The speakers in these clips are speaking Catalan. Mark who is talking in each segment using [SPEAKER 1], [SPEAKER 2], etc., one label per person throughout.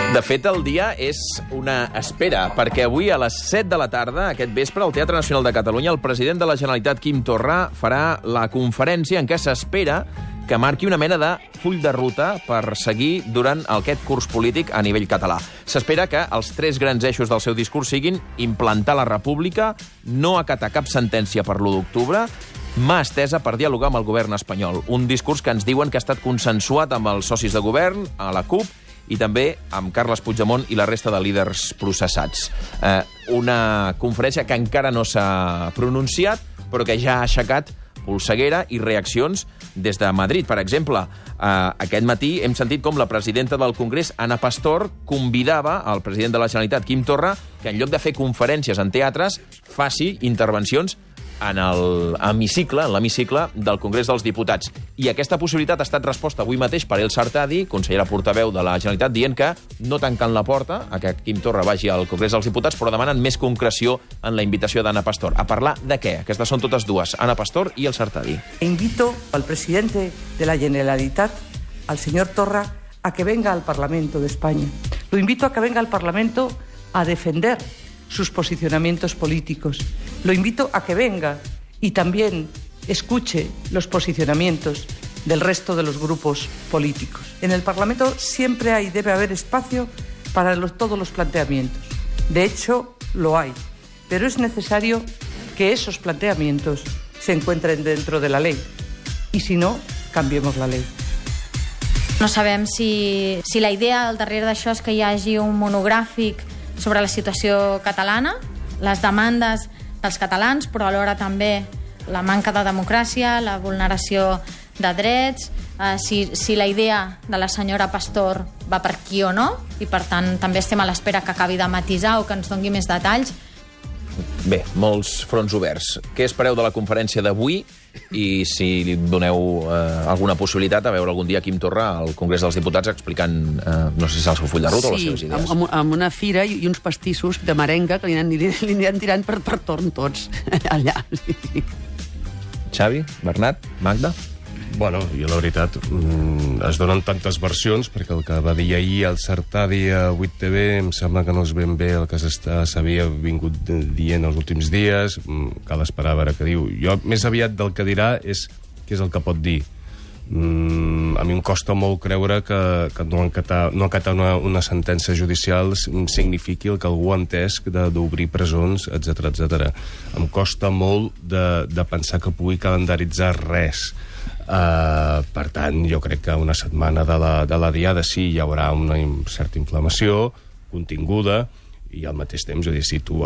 [SPEAKER 1] De fet, el dia és una espera, perquè avui a les 7 de la tarda, aquest vespre, al Teatre Nacional de Catalunya, el president de la Generalitat, Quim Torra, farà la conferència en què s'espera que marqui una mena de full de ruta per seguir durant aquest curs polític a nivell català. S'espera que els 3 grans eixos del seu discurs siguin implantar la república, no acatar cap sentència per l'1 d'octubre, mà estesa per dialogar amb el govern espanyol. Un discurs que ens diuen que ha estat consensuat amb els socis de govern, a la CUP, i també amb Carles Puigdemont i la resta de líders processats. Una conferència que encara no s'ha pronunciat, però que ja ha aixecat polseguera i reaccions des de Madrid. Per exemple, aquest matí hem sentit com la presidenta del Congrés, Ana Pastor, convidava al president de la Generalitat, Quim Torra, que en lloc de fer conferències en teatres, faci intervencions en l'hemicicle del Congrés dels Diputats. I aquesta possibilitat ha estat resposta avui mateix per El Sartadi, consellera portaveu de la Generalitat, dient que no tancant la porta a que Quim Torra vagi al Congrés dels Diputats, però demanen més concreció en la invitació d'Ana Pastor. A parlar de què? Aquestes són totes dues, Ana Pastor i El Sartadi.
[SPEAKER 2] Invito al presidente de la Generalitat, al señor Torra, a que venga al Parlamento de España. Lo invito a que venga al Parlamento a defender sus posicionamientos políticos. Lo invito a que venga y también escuche los posicionamientos del resto de los grupos políticos. En el Parlamento siempre hay y debe haber espacio para todos los planteamientos. De hecho, lo hay. Pero es necesario que esos planteamientos se encuentren dentro de la ley. Y si no, cambiemos la ley.
[SPEAKER 3] No sabem si la idea al darrere d'això és que hi hagi un monogràfic sobre la situació catalana, les demandes dels catalans, però alhora també la manca de democràcia, la vulneració de drets, si la idea de la senyora Pastor va per aquí o no, i per tant també estem a l'espera que acabi de matisar o que ens doni més detalls.
[SPEAKER 1] Bé, molts fronts oberts. Què espereu de la conferència d'avui? I si li doneu alguna possibilitat a veure algun dia Quim Torra al Congrés dels Diputats explicant, no sé si és el seu full de ruta o les seves idees.
[SPEAKER 4] Sí, amb una fira i uns pastissos de merenga que li aniran tirant per torn tots allà. Sí.
[SPEAKER 1] Xavi, Bernat, Magda?
[SPEAKER 5] Bueno, jo la veritat, es donen tantes versions, perquè el que va dir ahir el Sartadi a 8TV em sembla que no és ben bé el que s'havia vingut dient els últims dies, cal esperar a veure què diu. Jo, més aviat del que dirà, és què és el que pot dir. A mi em costa molt creure que no acatar una sentència judicial signifiqui el que algú ha entès d'obrir presons, etc. Em costa molt de pensar que pugui calendaritzar res. Per tant, jo crec que una setmana de la diada sí hi haurà una certa inflamació continguda, i al mateix temps, és a dir, si tu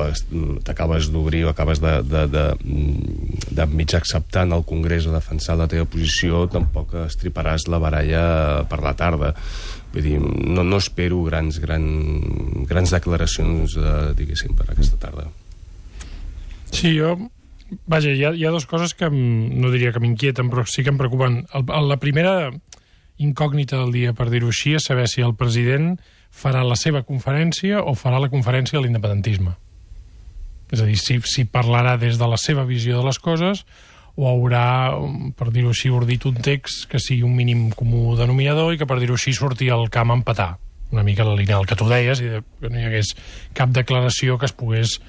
[SPEAKER 5] t'acabes d'obrir o acabes de mig acceptar en el Congrés o defensar la teva posició, tampoc estriparàs la baralla per la tarda. Vull dir, no espero grans declaracions, diguéssim, per aquesta tarda.
[SPEAKER 6] Sí, vaja, hi ha dues coses que no diria que m'inquieten, però sí que em preocupen. La primera incògnita del dia, per dir-ho així, és saber si el president farà la seva conferència o farà la conferència de l'independentisme. És a dir, si parlarà des de la seva visió de les coses o haurà, per dir-ho així, ordit un text que sigui un mínim comú denominador i que, per dir-ho així, surti al camp a empatar. Una mica la línia del que tu deies, i que no hi hagués cap declaració que es pogués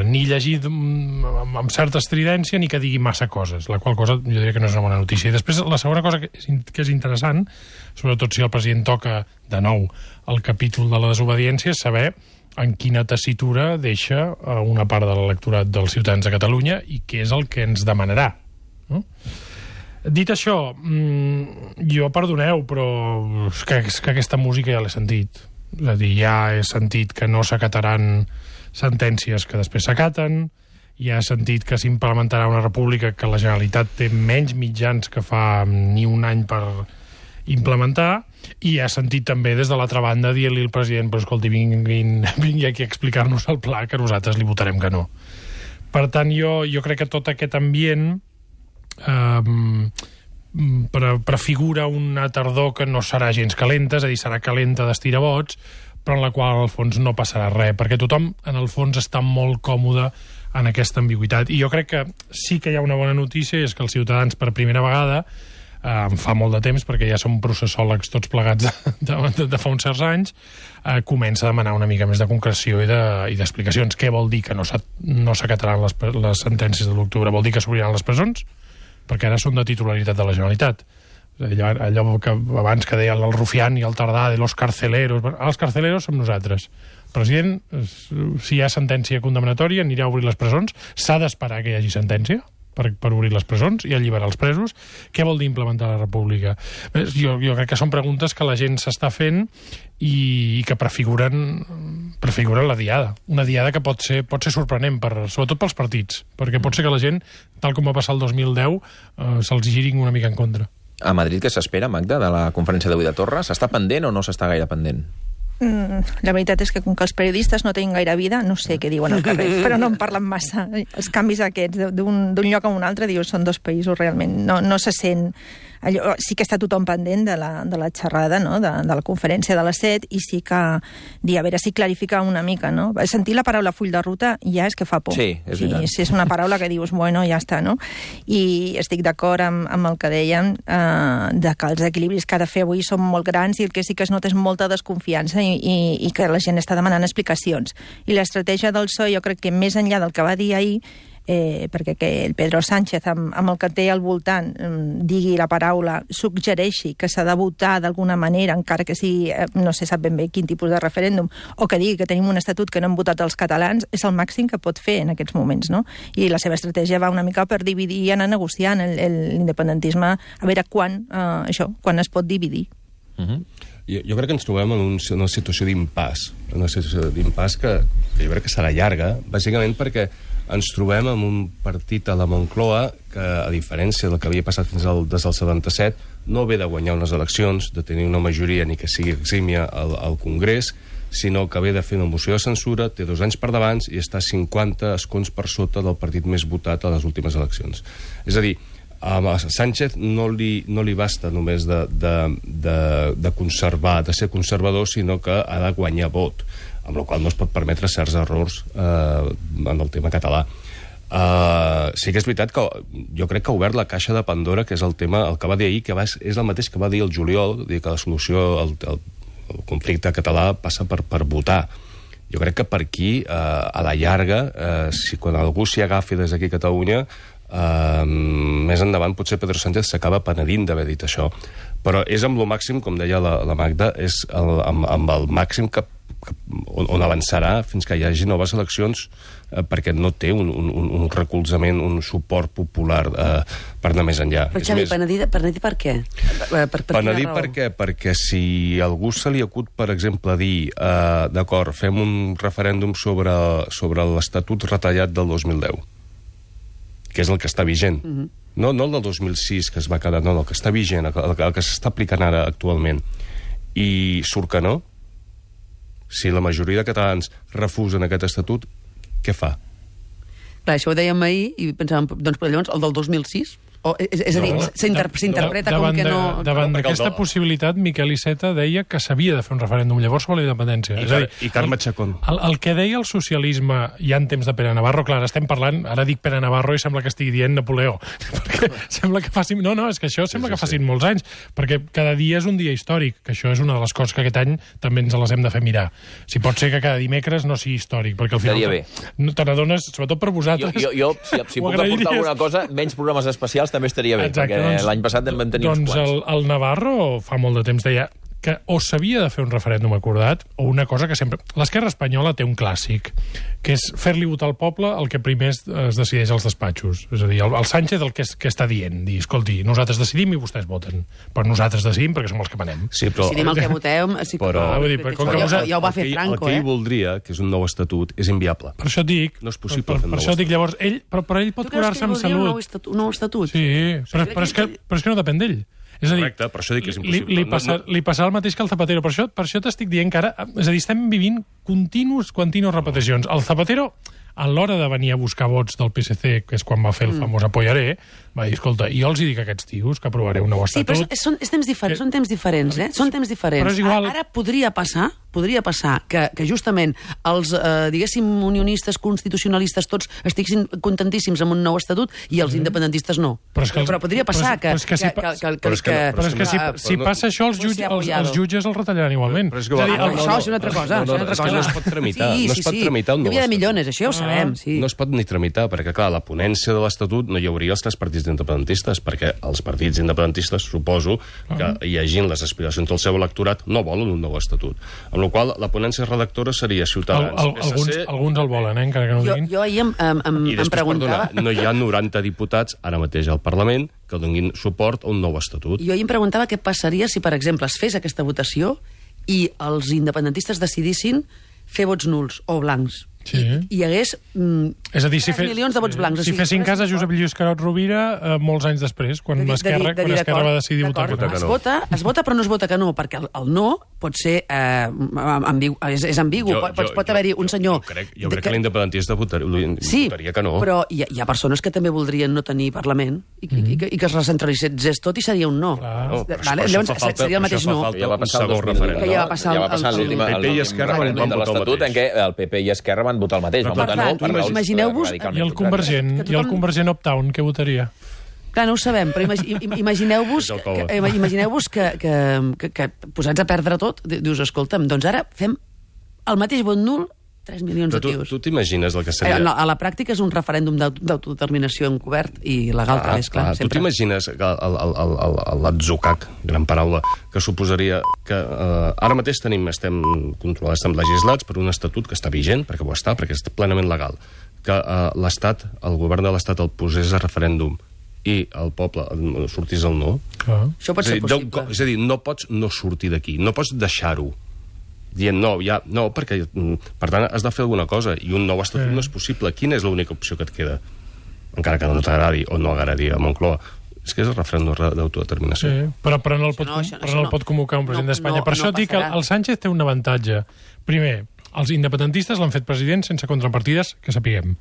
[SPEAKER 6] ni llegir amb certa estridència ni que digui massa coses, la qual cosa jo diria que no és una bona notícia. I després la segona cosa que és interessant, sobretot si el president toca de nou el capítol de la desobediència, és saber en quina tessitura deixa una part de l'electorat dels ciutadans de Catalunya i què és el que ens demanarà, no? Dit això, jo, perdoneu, però és que aquesta música ja l'he sentit. És a dir, ja he sentit que no s'acataran sentències que després s'acaten, ja he sentit que s'implementarà una república que la Generalitat té menys mitjans que fa ni un any per implementar, i ja he sentit també des de l'altra banda dir-li al president, però escolti, vingui aquí a explicar-nos el pla, que nosaltres li votarem que no. Per tant, jo crec que tot aquest ambient prefigura una tardor que no serà gens calenta, és a dir, serà calenta d'estirabots, però en la qual al fons no passarà res, perquè tothom en el fons està molt còmode en aquesta ambigüitat. I jo crec que sí que hi ha una bona notícia, i és que els ciutadans per primera vegada en fa molt de temps, perquè ja som processòlegs tots plegats de fa uns certs anys, comença a demanar una mica més de concreció i d'explicacions. Què vol dir que no s'acataran les sentències de l'octubre? Vol dir que s'obriran les presons? Perquè ara són de titularitat de la Generalitat. Allò que abans que deia el Rufián i el Tardà de los carceleros. Els carceleros som nosaltres. El president, si hi ha sentència condemnatòria, anirà a obrir les presons. S'ha d'esperar que hi hagi sentència per obrir les presons i alliberar els presos. Què vol dir implementar la república? Jo crec que són preguntes que la gent s'està fent i que prefiguren la diada. Una diada que pot ser sorprenent, sobretot pels partits, perquè pot ser que la gent, tal com va passar el 2010, se'ls girin una mica en contra.
[SPEAKER 1] A Madrid, què s'espera, Magda, de la conferència d'avui de Torra? S'està pendent o no s'està gaire pendent?
[SPEAKER 7] La veritat és que com que els periodistes no tenen gaire vida, no sé què diuen al carrer, però no en parlen massa. Els canvis aquests d'un lloc a un altre, dius, són dos països realment. No se sent... Allò, sí que està tothom pendent de la xerrada, no? de la conferència de les 7, i sí que dir, a veure si clarifica una mica, no? Sentir la paraula full de ruta ja és que fa por.
[SPEAKER 1] Sí, és veritat.
[SPEAKER 7] Sí, és una paraula que dius, bueno, ja està, no? I estic d'acord amb el que dèiem, de que els equilibris que ha de fer avui són molt grans i el que sí que es nota és molta desconfiança i que la gent està demanant explicacions. I l'estratègia del PSOE, jo crec que més enllà del que va dir ahir, perquè que el Pedro Sánchez amb el que té al voltant digui la paraula, suggereixi que s'ha de votar d'alguna manera, encara que sigui, no se sap ben bé quin tipus de referèndum, o que digui que tenim un estatut que no hem votat els catalans, és el màxim que pot fer en aquests moments, no? I la seva estratègia va una mica per dividir i anar negociant l'independentisme, a veure quan es pot dividir.
[SPEAKER 5] Jo crec que ens trobem en una situació d'impàs, que jo crec que serà llarga, bàsicament perquè ens trobem amb un partit a la Moncloa que, a diferència del que havia passat des del 77, no ve de guanyar unes eleccions, de tenir una majoria ni que sigui exímia al Congrés, sinó que ve de fer una moció de censura, té 2 anys per davant i està 50 escons per sota del partit més votat a les últimes eleccions. És a dir, a Sánchez no li basta només de conservar, de ser conservador, sinó que ha de guanyar vot, amb la qual cosa no es pot permetre certs errors en el tema català. Sí que és veritat que jo crec que ha obert la caixa de Pandora, que és el tema, el que va dir ahir, que és el mateix que va dir el juliol, dir que la solució al conflicte català passa per votar. Jo crec que per aquí, a la llarga, quan algú s'hi agafi des d'aquí a Catalunya, més endavant potser Pedro Sánchez s'acaba penedint d'haver dit això. Però és amb lo màxim, com deia la Magda, és amb el màxim on avançarà fins que hi hagi noves eleccions, perquè no té un recolzament, un suport popular per anar més enllà.
[SPEAKER 4] Però Xavi, penedir per què?
[SPEAKER 5] Penedir per què? Perquè si algú se li acut, per exemple, dir d'acord, fem un referèndum sobre l'Estatut retallat del 2010, que és el que està vigent. No el del 2006, que es va quedar, no, el que està vigent, el que s'està aplicant ara actualment. I surt que no? Si la majoria de catalans refusen aquest estatut, què fa?
[SPEAKER 4] Clar, això ho dèiem ahir i pensàvem, doncs, però llavors, el del 2006? És a dir, s'interpreta com que no...
[SPEAKER 6] Davant d'aquesta possibilitat, Miquel Iceta deia que s'havia de fer un referèndum llavors sobre la independència.
[SPEAKER 5] I Carme Chacón.
[SPEAKER 6] El que deia el socialisme ja en temps de Pere Navarro, clar, estem parlant, ara dic Pere Navarro i sembla que estigui dient Napoleó, perquè sembla que facin... No, és que això sembla que facin molts anys, perquè cada dia és un dia històric, que això és una de les coses que aquest any també ens les hem de fer mirar. Si pot ser que cada dimecres no sigui històric, perquè al final... No te n'adones, sobretot per vosaltres...
[SPEAKER 1] Jo si puc aportar alguna cosa, menys programes especials també estaria bé. Exacte, perquè l'any passat en vam tenir uns quants.
[SPEAKER 6] Doncs el Navarro fa molt de temps deia que o s'havia de fer un referèndum acordat o una cosa que sempre... L'esquerra espanyola té un clàssic, que és fer-li votar al poble el que primer es decideix als despatxos. És a dir, el Sánchez el que està dient, dir, escolti, nosaltres decidim i vostès voten. Però nosaltres decidim perquè som els que manem.
[SPEAKER 5] Sí, però...
[SPEAKER 4] Decidim el que voteu... Ja ho va fer Franco,
[SPEAKER 5] El que ell voldria, que és un nou estatut, és inviable.
[SPEAKER 6] Per això dic...
[SPEAKER 5] No és possible fer un nou
[SPEAKER 6] estatut. Per això dic, llavors, però ell pot curar-se amb salut.
[SPEAKER 4] Un nou estatut?
[SPEAKER 6] Sí, però és que no depèn d'ell. És a dir,
[SPEAKER 5] correcte, per això dic que és impossible.
[SPEAKER 6] Li passarà el mateix que al Zapatero. Per això t'estic dient que ara... És a dir, estem vivint continues repeticions. El Zapatero, a l'hora de venir a buscar vots del PSC, que és quan va fer el famós apoyaré, va dir, escolta, jo els dic a aquests tios que aprovaré un nou estatut...
[SPEAKER 4] Sí, però són temps diferents, Són temps diferents. Però
[SPEAKER 6] és igual.
[SPEAKER 4] Ara podria passar podria passar que justament els, diguéssim, unionistes, constitucionalistes, tots estiguessin contentíssims amb un nou estatut i els independentistes no. Però podria passar que...
[SPEAKER 6] Però és que si passa això, els jutges els retallaran igualment.
[SPEAKER 4] Això és una altra cosa.
[SPEAKER 5] És que no es pot tramitar. No es pot tramitar un nou
[SPEAKER 4] estatut.
[SPEAKER 5] Millones,
[SPEAKER 4] això ja ho sabem.
[SPEAKER 5] No es pot ni tramitar, perquè, clar, la ponència de l'Estatut no hi hauria els tres partits independentistes, perquè els partits independentistes, suposo, que llegint les aspiracions del seu electorat, no volen un nou estatut. Amb la qual la ponència redactora seria Ciutadans, PSC...
[SPEAKER 6] Alguns el volen, encara que no ho diguin.
[SPEAKER 4] Jo ahir em preguntava...
[SPEAKER 5] No hi ha 90 diputats ara mateix al Parlament que donin suport a un nou estatut.
[SPEAKER 4] Jo ahir em preguntava què passaria si, per exemple, es fes aquesta votació i els independentistes decidissin fer vots nuls o blancs.
[SPEAKER 6] Sí.
[SPEAKER 4] I hi hagués
[SPEAKER 6] és a dir,
[SPEAKER 4] 3 milions de vots blancs.
[SPEAKER 6] Si fessin cas a Josep Lluís Carod Rovira molts anys després, quan Esquerra va decidir votar que no.
[SPEAKER 4] Es vota però no es vota que no, perquè el no pot ser és ambigu. Pot haver-hi un senyor...
[SPEAKER 5] Jo crec que l'independentista votaria que no.
[SPEAKER 4] Però hi ha persones que també voldrien no tenir Parlament i que es recentralitzés tot i seria un no. Llavors seria el mateix no.
[SPEAKER 1] Ja va passar el
[SPEAKER 5] PP i Esquerra van votar
[SPEAKER 1] l'Estatut en què el PP i Esquerra van votar el mateix. Van votar no per raons
[SPEAKER 6] I el Convergent Uptown, què votaria?
[SPEAKER 4] Clar, no ho sabem, però imagineu-vos que posats a perdre tot, dius, escolta'm, doncs ara fem el mateix vot nul 3 milions de tios.
[SPEAKER 5] Tu t'imagines el que seria...
[SPEAKER 4] A la pràctica és un referèndum d'autodeterminació encobert i legal, és clar.
[SPEAKER 5] Tu t'imagines l'atzucac, gran paraula, que suposaria que ara mateix estem controlats, estem legislats per un estatut que està vigent, perquè ho està, perquè és plenament legal, que l'Estat, el govern de l'Estat el posés a referèndum i el poble sortís al no.
[SPEAKER 4] Això pot ser possible.
[SPEAKER 5] És a dir, no pots no sortir d'aquí, no pots deixar-ho dient no, perquè per tant has de fer alguna cosa i un nou estatut no és possible. Quina és l'única opció que et queda? Encara que no t'agradi o no agradi a Moncloa. És que és el referèndum d'autodeterminació.
[SPEAKER 6] Sí, però no el pot convocar un president d'Espanya. Per això dic que el Sánchez té un avantatge. Primer, els independentistes l'han fet president sense contrapartides que sapiguem.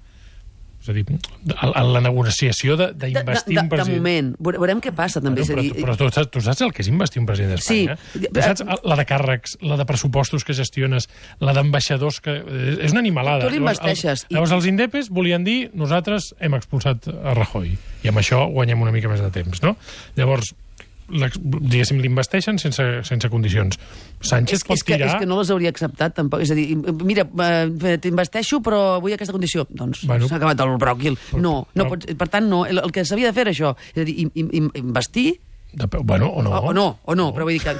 [SPEAKER 6] És a dir, la negociació d'investir un president...
[SPEAKER 4] De moment. Veurem què passa, també.
[SPEAKER 6] Però tu saps el que és investir un president d'Espanya? Sí. Saps la de càrrecs, la de pressupostos que gestiones, la d'ambaixadors que... És una animalada.
[SPEAKER 4] Tu l'investeixes.
[SPEAKER 6] Llavors els indepes volien dir nosaltres hem expulsat a Rajoy i amb això guanyem una mica més de temps, no? Llavors, diguéssim, l'investeixen sense condicions. Sánchez pot tirar...
[SPEAKER 4] És que no les hauria acceptat, tampoc. És a dir, mira, t'investeixo, però vull aquesta condició. Doncs s'ha acabat el bròquil. No, per tant, no. El que s'havia de fer era això. És a dir, investir...
[SPEAKER 6] Bueno, o no.
[SPEAKER 4] Però vull dir que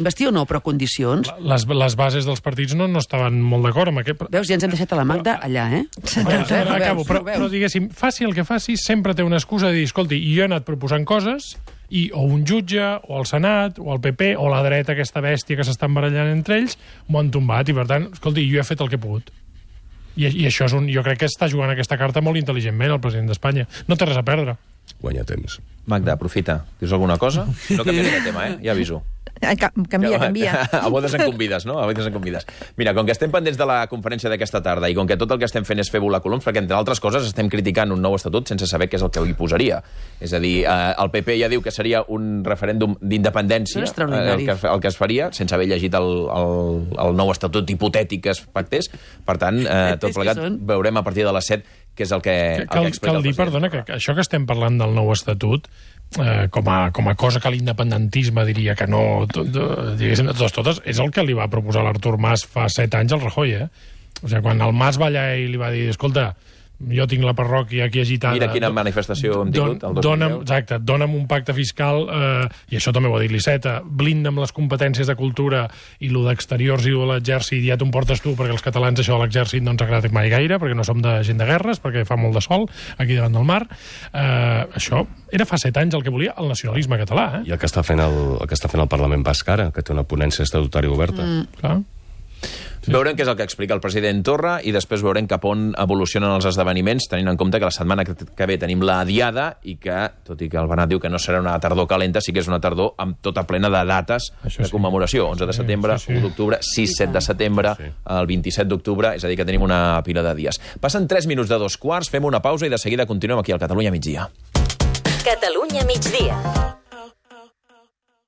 [SPEAKER 4] investir o no, però condicions...
[SPEAKER 6] Les bases dels partits no estaven molt d'acord amb aquest...
[SPEAKER 4] Veus, ja ens hem deixat a la Magda allà,
[SPEAKER 6] Acabo, però diguéssim, faci el que faci, sempre té una excusa de dir, escolti, jo he anat proposant coses i o un jutge, o el Senat, o el PP, o la dreta, aquesta bèstia que s'estan barallant entre ells, m'ho han tombat, i per tant, escolti, jo he fet el que he pogut. I això és jo crec que està jugant aquesta carta molt intel·ligentment el president d'Espanya. No té res a perdre.
[SPEAKER 5] Guanya temps.
[SPEAKER 1] Magda, aprofita. Dius alguna cosa? No canviaré de tema, ja aviso.
[SPEAKER 7] Canvia.
[SPEAKER 1] A bodes en convides, no? A bodes en convides. Mira, com que estem pendents de la conferència d'aquesta tarda i com que tot el que estem fent és fer volar coloms, perquè entre altres coses estem criticant un nou estatut sense saber què és el que hi posaria. És a dir, el PP ja diu que seria un referèndum d'independència el que es faria, sense haver llegit el nou estatut hipotètic que es pactés. Per tant, tot plegat veurem a partir de les 7 què és el que explica el president.
[SPEAKER 6] Cal dir, perdona, que això que estem parlant del nou estatut com a cosa que l'independentisme diria que no, diguéssim, totes, és el que li va proposar l'Artur Mas fa 7 anys al Rajoy, O sigui, quan el Mas va allà i li va dir, escolta, jo tinc la parròquia aquí agitada...
[SPEAKER 1] Mira quina manifestació hem tingut el 2010.
[SPEAKER 6] Exacte, dona'm un pacte fiscal, i això també ho ha dit l'Iceta, blinda'm les competències de cultura i lo d'exteriors i lo de l'exèrcit, ja t'ho portes tu, perquè els catalans això de l'exèrcit no ens agrada mai gaire, perquè no som de gent de guerres, perquè fa molt de sol aquí davant del mar. Això era fa 7 anys el que volia el nacionalisme català.
[SPEAKER 5] I el que està fent el Parlament Basc ara, que té una ponència estatutària oberta.
[SPEAKER 6] Clar.
[SPEAKER 1] Sí. Veurem què és el que explica el president Torra i després veurem cap on evolucionen els esdeveniments, tenint en compte que la setmana que ve tenim la diada i que, tot i que el Bernat diu que no serà una tardor calenta, sí que és una tardor amb tota plena de dates de commemoració. 11 de setembre, 1 d'octubre, 6-7 de setembre, el 27 d'octubre, és a dir, que tenim una pila de dies. Passen 3 minuts de 2 quarts, fem una pausa i de seguida continuem aquí al Catalunya Migdia.
[SPEAKER 8] Catalunya Migdia.